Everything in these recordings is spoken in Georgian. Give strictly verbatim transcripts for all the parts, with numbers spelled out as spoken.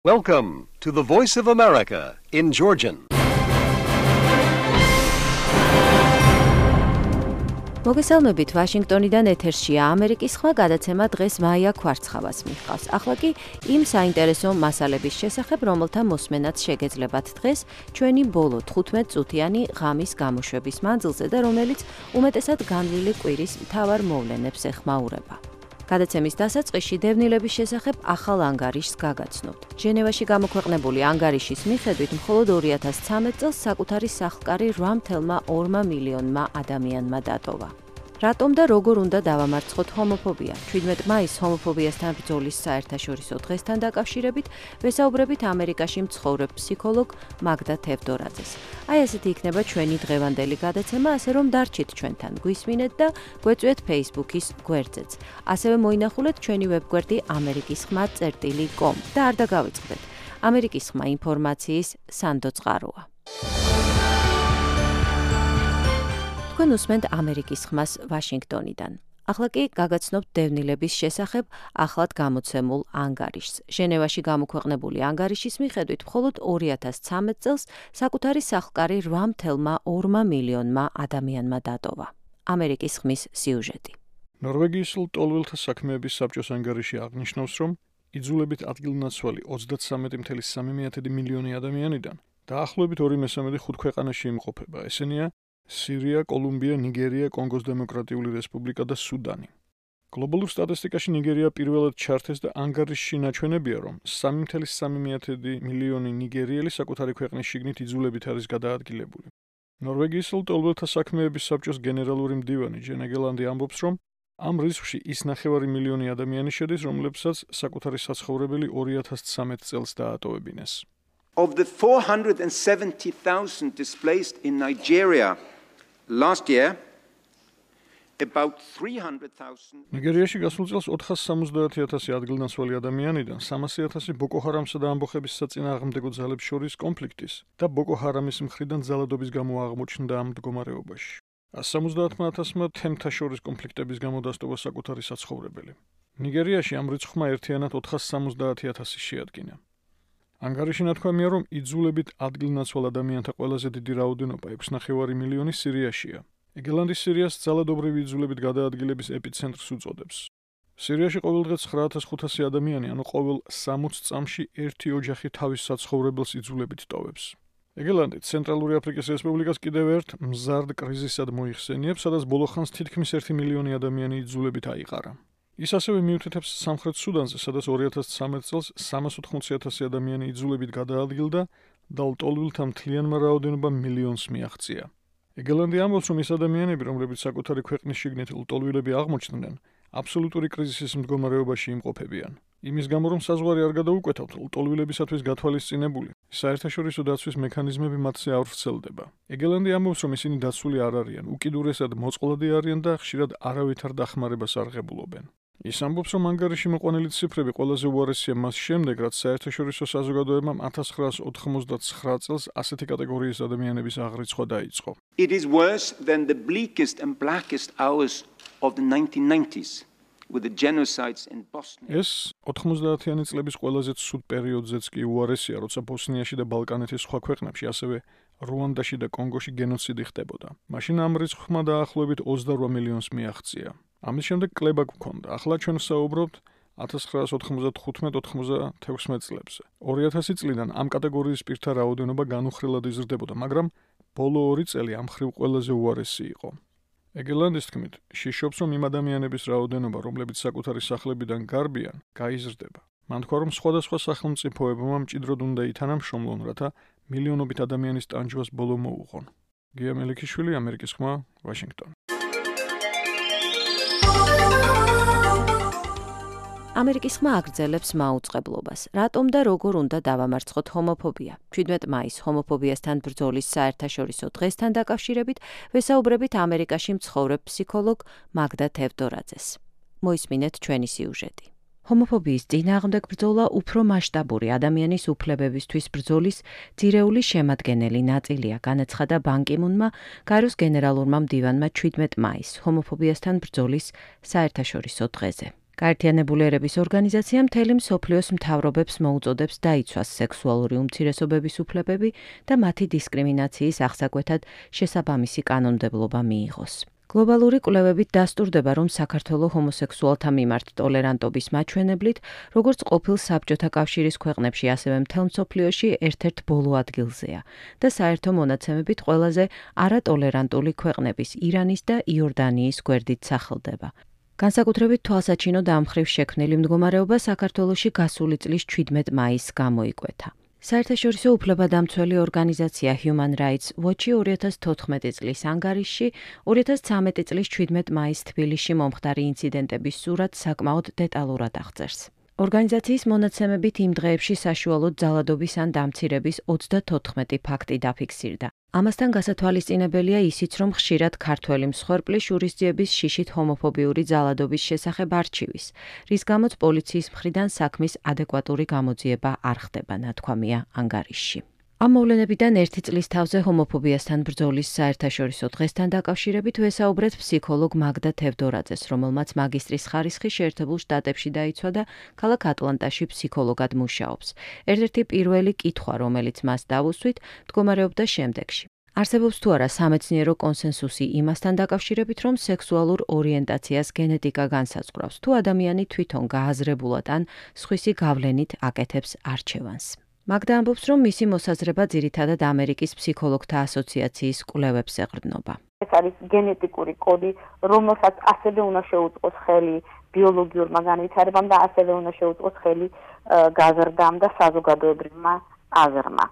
Welcome to the Voice of America in Georgian. მოგესალმებით, ვაშინგტონიდან ეთერშია ამერიკის ხმა გადაცემა დღეს მაია ქვარცხავას მიჰყავს. ახლა კი იმ საინტერესო მასალების შესახებ, რომელთა მოსმენაც შეგეძლებათ დღეს ჩვენი ბოლო თხუთმეტ წუთიანი ღამის გამოშვების მანძილზე და რომელიც უმეტესად განვლილი კვირის მთავარ მოვლენებს ეხმაურება. გადაცემის დასაწყისში დევნილების შესახებ ახალ ანგარიშს გაგაცნობთ. ჟენევაში გამოქვეყნებული ანგარიშის მიხედვით მხოლოდ ორი ათას ცხრამეტ წელს საკუთარი სახლკარი რვა კoma ორი მილიონმა ადამიანმა დატოვა. რატომ და როგორ უნდა დავამარცხოთ ჰომოფობია? ჩვიდმეტ მაისს ჰომოფობიასთან ბრძოლის საერთაშორისო დღესთან დაკავშირებით ვესაუბრებით ამერიკაში მცხოვრებ ფსიქოლოგ მაგდა თევდორაძეს. აი ესეთი იქნება ჩვენი დღევანდელი გადაცემა, ასე რომ დარჩით ჩვენთან, გვისმინეთ და გვეწვიეთ Facebook-ის გვერდზეც. ასევე მოინახულეთ ჩვენი ვებგვერდი ამერიკის ხმა წერტილი კომ და არ დაგავიწყდეთ. ამერიკის ხმა ინფორმაციის სანდო წყაროა. თქვენ უსმენთ ამერიკის ხმას ვაშინგტონიდან. ახლა კი გაგაცნობთ დევნილების შესახებ ახლად გამოცემულ ანგარიშს. ჟენევაში გამოქვეყნებული ანგარიშის მიხედვით მხოლოდ ორი ათას ცხრამეტ წელს საკუთარი სახლკარი რვა კoma ორი მილიონმა ადამიანმა დატოვა. ამერიკის ხმის სიუჟეტი. ნორვეგიის ლტოლვილთა საქმეების საბჭოს ანგარიში აღნიშნავს, რომ იძულებით ადგილნაცვალი ოცდათსამეტი კoma სამი მილიონი ადამიანიდან დაახლოებით ორი მესამედი ხუთ ქვეყანაში იმყოფება. ესენია სირია, კოლუმბია, ნიგერია, კონგოს დემოკრატიული რესპუბლიკა და სუდანი. გლობალურ სტატისტიკაში ნიგერია პირველად ჩართეს და ანგარიშში ნაჩვენებია, რომ სამი კoma სამი მილიონი ნიგერიელი საკუთარი ქვეყნის შიგნით იძულებით არის გადაადგილებული. ნორვეგიის ლტოლვილთა საქმეების საბჭოს გენერალური მდივანი ჯენა გელანდი ამბობს, რომ ამ რიცხვში ის ნახევარი მილიონი ადამიანი შედის, რომლებსაც საკუთარი საცხოვრებელი ორი ათას ცხრამეტ წელს დაატოვებინეს. Of the four hundred seventy thousand displaced in Nigeria last year, about three hundred thousand ნიგერიაში გასულ წელს ოთხას სამოცდაათი ათასი ადგილნაცვალი ადამიანიდან სამასი ათასი ბოკო ჰარამსა და ამბოხების საწინააღმდეგო ძალებს შორის კონფლიქტის და ბოკო ჰარამის მხრიდან ძალადობის გამო აღმოჩნდა ამ მდგომარეობაში. სამოცდაათმა ათასმა თემთა შორის კონფლიქტების გამო დასტოვა საკუთარი საცხოვრებელი. ნიგერიაში ამ რიცხვმა ერთიანად ოთხას სამოცდაათი ათასი შეადგინა. ანგარიში ნათქვამია, რომ იძულებით ადგილნაცვალ ადამიანთა ყველაზე დიდი რაოდენობა ექვსი კoma პέντε მილიონი სირიაშია. ეგელანდი სირიას ძალადობრივი იძულებით გადაადგილების ეპიცენტრს უწოდებს. სირიაში ყოველდღე ცხრა ათას ხუთასი ადამიანი, ანუ ყოველ სამოცდ წამში ერთი ოჯახი თავის საცხოვრებელს იძულებით ტოვებს. ეგელანდი ცენტრალური აფრიკის რესპუბლიკას კიდევ ერთ მზარდ კრიზისად მოიხსენიებს, სადაც ბოლო ხანს თითქმის ერთი მილიონი ადამიანი იძულებით აიყარა. ის ასევე მიუთითებს სამხრეთ სუდანზე, სადაც ორი ათას ცხრამეტ წელს სამას ოთხმოცი ათასი ადამიანი იძულებით გადაადგილდა და ლტოლვილთა მთლიანმა რაოდენობამ მილიონს მიაღწია. ეგელანდი ამბობს, რომ ის ადამიანები, რომლებიც საკუთარი ქვეყნის შიგნით ლტოლვილები აღმოჩნდნენ, აბსოლუტური კრიზისის მდგომარეობაში იმყოფებიან. იმის გამო, რომ საზღვარი არ გადაუკვეთავთ, ლტოლვილებისათვის გათვალისწინებული საერთაშორისო დაცვის მექანიზმები მათზე არ ვრცელდება. ეგელანდი ამბობს, რომ ისინი დაცული არ არიან, უკიდურესად მოწყვლადი არიან და ხშირად არავითარ დახმარებას არ ღებულობენ. ის ამბობს, რომ ანგარიში მოყვანილი ციფრები ყველაზე უარესია მას შემდეგ, რაც საერთაშორისო საზოგადოებამ ათას ცხრაას ოთხმოცდაცხრა წელს ასეთი კატეგორიის ადამიანების აღრიცხვა დაიწყო. It is worse than the bleakest and blackest hours of the nineteen nineties with the genocides in Bosnia. ეს ოთხმოცდაათიანი წლების ყველაზე ცუდ პერიოდზეც კი უარესია, როცა ბოსნიაში და ბალკანეთის სხვა ქვეყნებში, ასევე რუანდაში და კონგოში გენოციდი ხდებოდა. მაშინ ამ რიცხვმა დაახლოებით ოცდარვა მილიონს მიაღწია. ამის შემდეგ კლება გვქონდა. ახლა ჩვენ ვსაუბრობთ ათას ცხრაას ოთხმოცდახუთმეტ ოთხმოცდათექვსმეტ წლებზე. ორი ათასი წლიდან ამ კატეგორიის პირთა რაოდენობა განუხრელად იზრდებოდა, მაგრამ ბოლო ორი წელი ამ მხრივ ყველაზე უარესი იყო. ეგელანდის თქმით, შიშობს, რომ იმ ადამიანების რაოდენობა, რომლებიც საკუთარი სახლებიდან გარბიან, გაიზრდება. მან თქვა, რომ სხვადასხვა სახელმწიფოებმა მჭიდროდ უნდა ითანამშრომლონ, რათა მილიონობით ადამიანის ტანჯვას ბოლო მოუღონ. გია მელიქიშვილი, ამერიკის ხმა, ვაშინგტონი. ამერიკის ხმა აგრძელებს მაუწყებლობას. რატომ და როგორ უნდა დავამარცხოთ ჰომოფობია? ჩვიდმეტ მაისს ჰომოფობიასთან ბრძოლის საერთაშორისო დღესთან დაკავშირებით ვესაუბრებით ამერიკაში მცხოვრებ ფსიქოლოგ მაგდა თევდორაძეს. მოისმინეთ ჩვენი სიუჟეტი. ჰომოფობიის წინააღმდეგ ბრძოლა უფრო მასშტაბური ადამიანის უფლებებისთვის ბრძოლის ძირეული შემადგენელი ნაწილია, განაცხადა ბან კი მუნმა გაეროს გენერალურმა მდივანმა ჩვიდმეტ მაისს ჰომოფობიასთან ბრძოლის საერთაშორისო დღეზე. გაერთიანებული ერების ორგანიზაცია მთელი მსოფლიოს მთავრობებს მოუწოდებს დაიცვას სექსუალური უმცირესობების უფლებები და მათი დისკრიმინაციის აღსაკვეთად შესაბამისი კანონმდებლობა მიიღოს. გლობალური კვლევებით დასტურდება, რომ საქართველოს ჰომოსექსუალთა მიმართ ტოლერანტობის მაჩვენებლით, როგორც ყოფილ საბჭოთა კავშირის ქვეყნებში, ასევე მთელ მსოფლიოში ერთ-ერთ ბოლო ადგილზეა და საერთო მონაცემებით ყველაზე არატოლერანტული ქვეყნების ირანის და იორდანიის გვერდით სახელდება. განსაკუთრებით თვალსაჩინოდ ამ მხრივ შექმნილი მდგომარეობა საქართველოში გასული წლის ჩვიდმეტ მაისს გამოიკვეთა. საერთაშორისო უფლებადამცველი ორგანიზაცია Human Rights Watch-ი ორი ათას თოთხმეტი წლის ანგარიშში ორი ათას ცხრამეტი წლის ჩვიდმეტ მაისს თბილისში მომხდარი ინციდენტების სურათს საკმაოდ დეტალურად აღწერს. ორგანიზაციის მონაცემებით იმ დღეებში საშუალოდ ძალადობის ან დამცირების ოცდათოთხმეტი ფაქტი დაფიქსირდა. ამასთან გასათვალისწინებელია ისიც, რომ ხშირად ქართველი მსხვერპლი შურისძიების შიშით ჰომოფობიური ძალადობის შესახებ არჩივის, რის გამოც პოლიციის მხრიდან საქმის ადეკვატური გამოძიება არ ხდება, ნათქვამია ანგარიშში. ამ მოვლენებიდან ერთი წლის თავზე ჰომოფობიასთან ბრძოლის საერთაშორისო დღესთან დაკავშირებით ვესაუბრეთ ფსიქოლოგ მაგდა თევდორაძეს, რომელმაც მაგისტრის ხარისხი შეერთებულ შტატებში დაიცვა და ქალაქ ატლანტაში ფსიქოლოგად მუშაობს. ერთ-ერთი პირველი კითხვა, რომელიც მას დავუსვით, მდგომარეობდა შემდეგში. არსებობს თუ არა სამეცნიერო კონსენსუსი იმასთან დაკავშირებით, რომ სექსუალურ ორიენტაციას გენეტიკა განსაზღვრავს, თუ ადამიანი თვითონ გააზრებულად ან სხვისი გავლენით აკეთებს არჩევანს. მაგდა ამბობს, რომ მისი მოსაზრება ძირითადად ამერიკის ფსიქოლოგთა ასოციაციის კვლევებს ეყრდნობა. ეს არის გენეტიკური კოდი, რომელსაც ასევე უნდა შეუწყოს ხელი ბიოლოგიურმა განვითარებამ და ასევე უნდა შეუწყოს ხელი გაზრდამ და საზოგადოებრივმა აზრმა.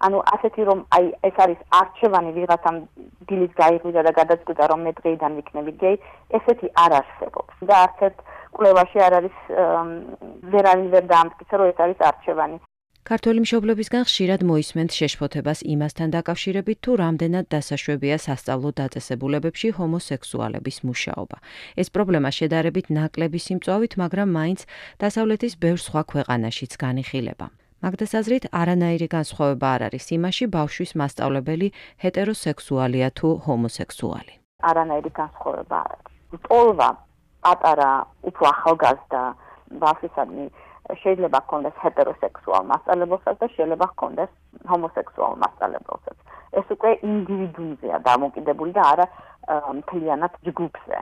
ანუ ასეთი რომ აი ეს არის არჩევანი ვიღაცამ დილის გაიღვიძა და გადაწყვიტა რომ მე დღეიდან ვიქნები გეი, ესეთი არ არსებობს. და არც ერთ კვლევაში არ არის ვერ არის ვერ დაამტკიცა რომ ეს არის არჩევანი. ქართველი მშობლებისგან ხშირად მოისმენთ შეშფოთებას იმასთან დაკავშირებით, თუ რამდენად დასაშვებია სასწავლო დაწესებულებებში ჰომოსექსუალების მუშაობა. ეს პრობლემა შედარებით ნაკლები სიმწვავით, მაგრამ მაინც დასავლეთის ბევრ სხვა ქვეყანაშიც განიხილება. მაგდას აზრით, არანაირი განსხვავება არ არის იმაში, ბავშვის მასწავლებელი ჰეტეროსექსუალია თუ ჰომოსექსუალი. არანაირი განსხვავება არ არის. ტოლვა პატარა, უფრო ახალგაზრდა ბავშვისადმი შეიძლება ჰქონდეს ჰეტეროსექსუალ მასწავლებელსაც და შეიძლება ჰქონდეს ჰომოსექსუალ მასწავლებელსაც. ეს უკვე ინდივიდუუმზეა დამოკიდებული და არა მთლიანად ჯგუფზე.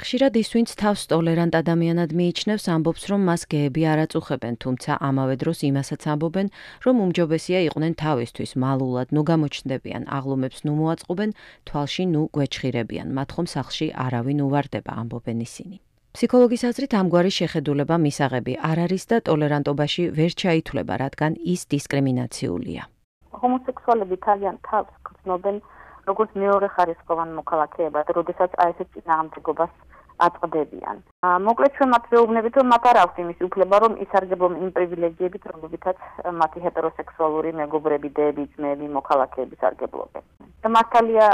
ხშირად ის, ვინც თავს ტოლერანტ ადამიანად მიიჩნევს, ამბობს, რომ მას გეები არ აწუხებენ, თუმცა ამავე დროს იმასაც ამბობენ, რომ უმჯობესია იყვნენ თავისთვის მალულად, ნუ გამოჩნდებიან, აღლუმებს ნუ მოაწყობენ, თვალში ნუ გვეჩხირებიან, მათ ხომ სახლში არავინ უვარდება, ამბობენ ისინი. ფსიქოლოგის აზრით ამგვარი შეხედულება მისაღები არ არის და ტოლერანტობაში ვერ ჩაითვლება, რადგან ის დისკრიმინაციულია. ჰომოსექსუალები თავიანთ თავს გრძნობენ როგორც მეორე ხარისხოვან მოქალაქეებად, როდესაც აი ესეთ წინააღმდეგობას აწყდებიან. მოკლედ ჩვენ მათ ვეუბნებით, რომ მათ არ აქვს იმის უფლება, რომ ისარგებლონ იმ პრივილეგიებით, რომლებითაც მათი ჰეტეროსექსუალური მეგობრები, დეები, ძმები, მოქალაქეები სარგებლობენ. და მართალია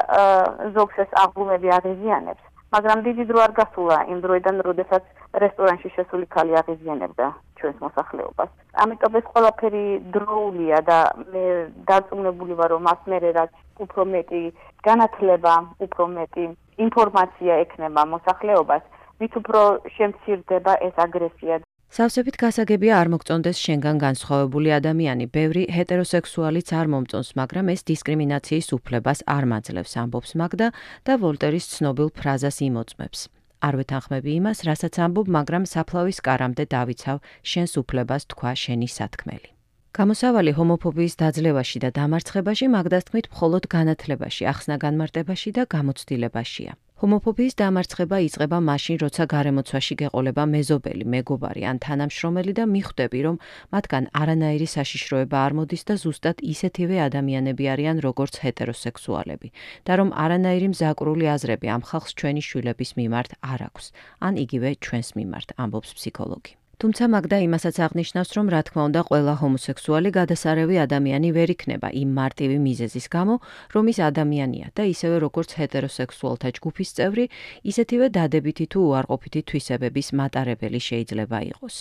ზოგს ეს აღლუმები აღიზიანებს. მაგრამ დიდი დრო არ გასულა იმ დროიდან, როდესაც რესტორანში შესული ქალი აღიზიანებდა ჩვენს მოსახლეობას. ამიტომ ეს ყველაფერი დროულია და მე დარწმუნებული ვარ, რომ მას მერე რაც უფრო მეტი განათლება, უფრო მეტი ინფორმაცია ექნება მოსახლეობას, მით უფრო შემცირდება ეს აგრესია. სავსებით გასაგებია არ მოგწონდეს შენგან განსხვავებული ადამიანი, ბევრი ჰეტეროსექსუალიც არ მომწონს, მაგრამ ეს დისკრიმინაციის უფლებას არ მაძლევს, ამბობს მაგდა და ვოლტერის ცნობილ ფრაზას იმოწმებს. არ ვეთანხმები იმას, რასაც ამბობ, მაგრამ საფლავის კარამდე დავიცავ შენს უფლებას თქვა შენი სათქმელი. გამოსავალი ჰომოფობიის დაძლევაში და დამარცხებაში მაგდას თქმით მხოლოდ განათლებაში, ახსნა-განმარტებაში და გამოცდილებაშია. ჰომოფობიის დამარცხება იწყება მაშინ, როცა გარემოცვაში გეყოლება მეზობელი, მეგობარი ან თანამშრომელი და მიხვდები, რომ მათგან არანაირი საშიშროება არ მოდის და ზუსტად ისეთივე ადამიანები არიან, როგორც ჰეტეროსექსუალები და რომ არანაირი მზაკვრული აზრები ამ ხალხს ჩვენი შვილების მიმართ არ აქვს, ან იგივე ჩვენს მიმართ, ამბობს ფსიქოლოგი. თუმცა მაგდა იმასაც აღნიშნავს, რომ რა თქმა უნდა ყველა ჰომოსექსუალი გადასარევი ადამიანი ვერ იქნება იმ მარტივი მიზეზის გამო, რომ ის ადამიანია და ისევე როგორც ჰეტეროსექსუალთა ჯგუფის წევრი, ისეთივე დადებითი თუ უარყოფითი თვისებების მატარებელი შეიძლება იყოს.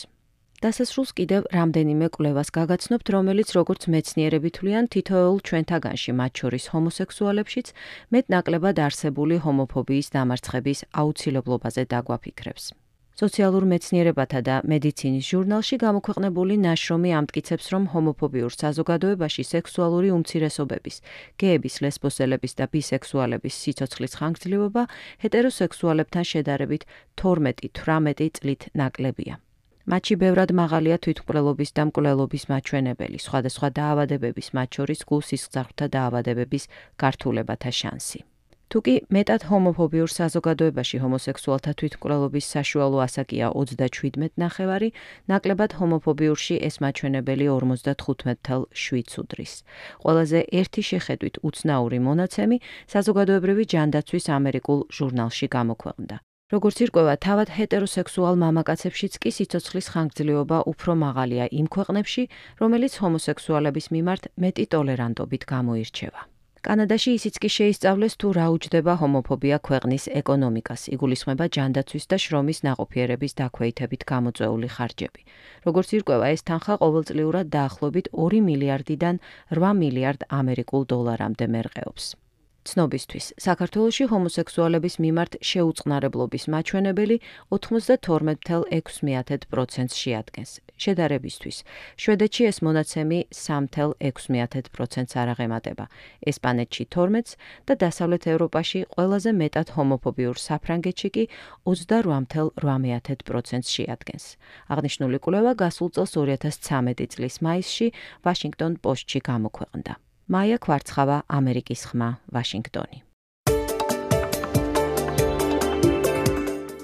დასასრულს კიდევ რამდენიმე კვლევას გაგაცნობთ, რომელიც როგორც მეცნიერები თვლიან, თითოეულ ჩვენთაგანში, მათ შორის ჰომოსექსუალებშიც, მეტნაკლებად არსებული ჰომოფობიის დამარცხების აუცილებლობაზე დაგვაფიქრებს. სოციალურ მეცნიერებათა და მედიცინის ჟურნალში გამოქვეყნებული ნაშრომი ამტკიცებს, რომ ჰომოფობიურ საზოგადოებაში სექსუალური უმცირესობების, გეების, ლესბოსელების და ბისექსუალების სიცოცხლის ხანგრძლივობა ჰეტეროსექსუალებთან შედარებით თორმეტი თვრამეტი წლით ნაკლებია. მათში ბევრად მაღალია თვითმკვლელობის და მკვლელობის მაჩვენებელი, სხვადასხვა დაავადებების, მათ შორის გულ-სისხლძარღვთა დაავადებების გართულებათა შანსი. თუკი მეტად ჰომოფობიურ საზოგადოებაში ჰომოსექსუალთა თვითმკვლელობის საშუალო ასაკია ოცდაშვიდმეტ ნახევარი, ნაკლებად ჰომოფობიურში ეს მაჩვენებელი ორმოცდათხუთმეტ целых შვიდს უდრის. ყველაზე ერთი შეხედვით უცნაური მონაცემი საზოგადოებრივი ჯანდაცვის ამერიკულ ჟურნალში გამოქვეყნდა. როგორც ირკვევა, თავად ჰეტეროსექსუალ მამაკაცებშიც კი სიცოცხლის ხანგრძლივობა უფრო მაღალია იმ ქვეყნებში, რომელიც ჰომოსექსუალების მიმართ მეტი ტოლერანტობით გამოირჩევა. კანადაში ისიც კი შეისწავლეს, თუ რა უჯდება ჰომოფობია ქვეყნის ეკონომიკას, იგულისხმება ჯანდაცვის და შრომის ნაყოფიერების დაქვეითებით გამოწვეული ხარჯები. როგორც ირკვევა, ეს თანხა ყოველწლიურად დაახლოებით ორი მილიარდიდან რვა მილიარდ ამერიკულ დოლარამდე მერყეობს. ცნობისთვის, საქართველოში ჰომოსექსუალების მიმართ შეუწყნარებლობის მაჩვენებელი ოცდათორმეტ целых ექვსი პროცენტს შეადგენს. შედარებისთვის, შვედეთში ეს მონაცემი სამი целых ექვსი პროცენტს არ აღემატება, ესპანეთში თორმეტს და დასავლეთ ევროპაში ყველაზე მეტად ჰომოფობიურ საფრანგეთში კი ოცდარვა целых რვა პროცენტს შეადგენს. აღნიშნული კვლევა გასულ წელს ორი ათას ცხრამეტი წლის მაისში ვაშინგტონ პოსტში გამოქვეყნდა. მაია კვარცხავა, ამერიკის ხმა, ვაშინგტონი.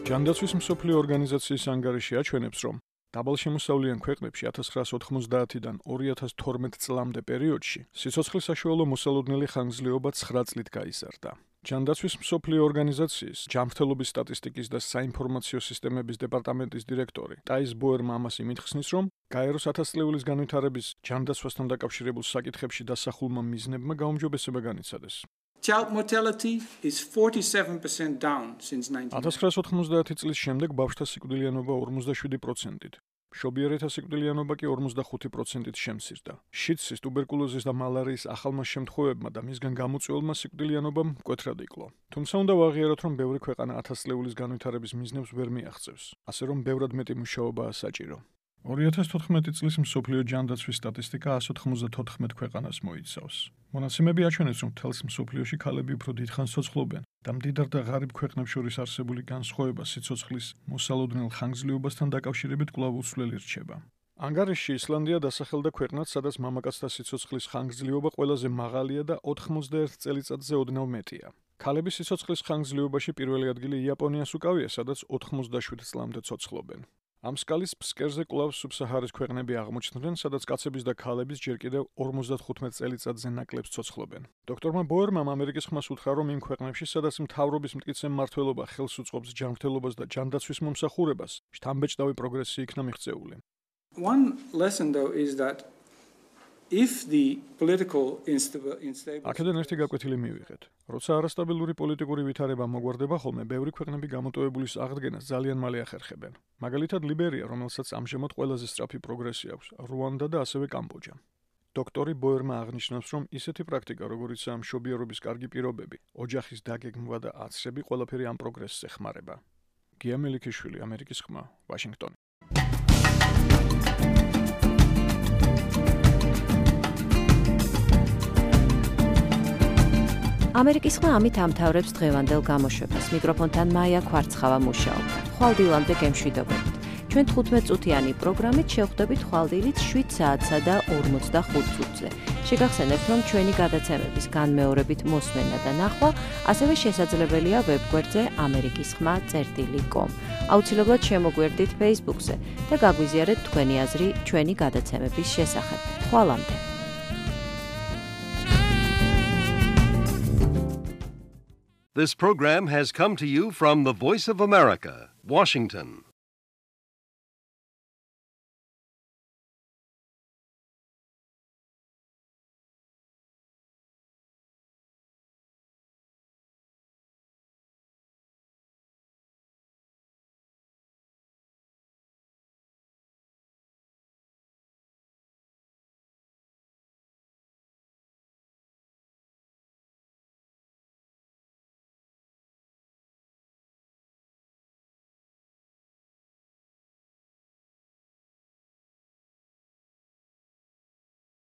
ჯანდაცვის მსოფლიო ორგანიზაციის ანგარიში აჩვენებს, რომ დაბალშემოსავლიან ქვეყნებში ათას ცხრაას ოთხმოცდაათიდან ორი ათას თორმეტ წლამდე პერიოდში სიცოცხლის საშუალო მოსალოდნელი ხანგრძლივობა ცხრა წლით გაიზარდა. ჯანდაცვის მსოფლიო ორგანიზაციის ჯანმრთელობის სტატისტიკის და საინფორმაციო სისტემების დეპარტამენტის დირექტორი ტაის ბოერმა ამას იმით ხსნის, რომ გაეროს ათასწლეულის განვითარების ჯანდაცვასთან დაკავშირებულ საკითხებში დასახულმა მიზნებმა გაუმჯობესება განიცადეს. Child mortality is forty-seven percent down since nineteen ninety. ათას ცხრაას ოთხმოცდაათი წლის შემდეგ ბავშვთა სიკვდილიანობა ორმოცდაშვიდი პროცენტით, მშობიარეთა სიკვდილიანობა კი ორმოცდახუთი პროცენტით შემცირდა. შიდსის, ტუბერკულოზის და მალარიის ახალმა შემთხვევებმა და მისგან გამოწვეულმა სიკვდილიანობამ მკვეთრად იკლო. თუმცა უნდა ვაღიაროთ, რომ ბევრი ქვეყანა ათასწლეულის განვითარების მიზნებს ვერ მიაღწევს, ასე რომ ბევრად მეტი მუშაობაა საჭირო. ორი ათას თოთხმეტი წლის მსოფლიო ჯანდაცვის სტატისტიკა ას ოთხმოცდათოთხმეტ ქვეყანას მოიცავს. მონაცემები აჩვენებს, რომ მთელს მსოფლიოში ქალები უფრო დიდხანს ცოცხლობენ და მდიდარ და ღარიბ ქვეყნებს შორის არსებული განსხვავება სიცოცხლის მოსალოდნელ ხანგრძლივობასთან დაკავშირებით კვლავ უცვლელი რჩება. ანგარიშში ისლანდია დასახელდა ქვეყნად, სადაც მამაკაცთა სიცოცხლის ხანგრძლივობა ყველაზე მაღალია და ოთხმოცდაერთ წელიწადზე ოდნავ მეტია. ქალების სიცოცხლის ხანგრძლივობაში პირველი ადგილი იაპონიას უკავია, სადაც ოთხმოცდაშვიდ წლამდე ცოცხლობენ. ამ სკალის ფსკერზე კვლავ სუბსაჰარის ქვეყნები აღმოჩნდნენ, სადაც კაცების და ქალების ჯერ კიდევ ორმოცდათხუთმეტ წელიწადზე ნაკლებს ცოცხლობენ. დოქტორმა ბოერმამ ამერიკის ხმას უთხრა, რომ იმ ქვეყნებში, სადაც მთავრობის მტკიცე მმართველობა ხელს უწყობს ჯანმრთელობას და ჯანდაცვის მომსახურებას, შთამბეჭდავი პროგრესი იქნა მიღწეული. One lesson though is that if the political instability აქედან ერთი გაკვეთილი მივიღეთ. როცა არასტაბილური პოლიტიკური ვითარება მოგვარდება ხოლმე, ბევრი ქვეყნები გამოტოვებულის აღდგენას ძალიან მალე ახერხებენ. მაგალითად ლიბერია, რომელსაც ამჟამად ყველაზე სწრაფი პროგრესი აქვს, რუანდა და ასევე კამბოჯა. დოქტორი ბოერმა აღნიშნავს, რომ ისეთი პრაქტიკა, როგორიცაა მშობიარობის კარგი პირობები, ოჯახის დაგეგმვა და აცრები, ყველაფერი ამ პროგრესს ეხმარება. გია მელიქიშვილი, ამერიკის ხმა, ვაშინგტონი. ამერიკის ხმა ამით ამთავრებს დღევანდელ გამოშვებას. მიკროფონთან მაია კვარცხავა მუშაობდა. ხვალდილამდე გემშვიდობებით. ჩვენ თხუთმეტ წუთიანი პროგრამით შევხვდებით ხვალდილით შვიდ საათსა და ორმოცდახუთ წუთზე. შეგახსენებთ, რომ ჩვენი გადაცემების განმეორებით მოსმენა და ნახვა ასევე შესაძლებელია ვებგვერდზე ამერიკის ხმა წერტილი კომ. აუცილებლად შემოგვერდით Facebook-ზე და გაგვიზიარეთ თქვენი აზრი ჩვენი გადაცემების შესახებ. ხვალამდე. This program has come to you from the Voice of America, Washington.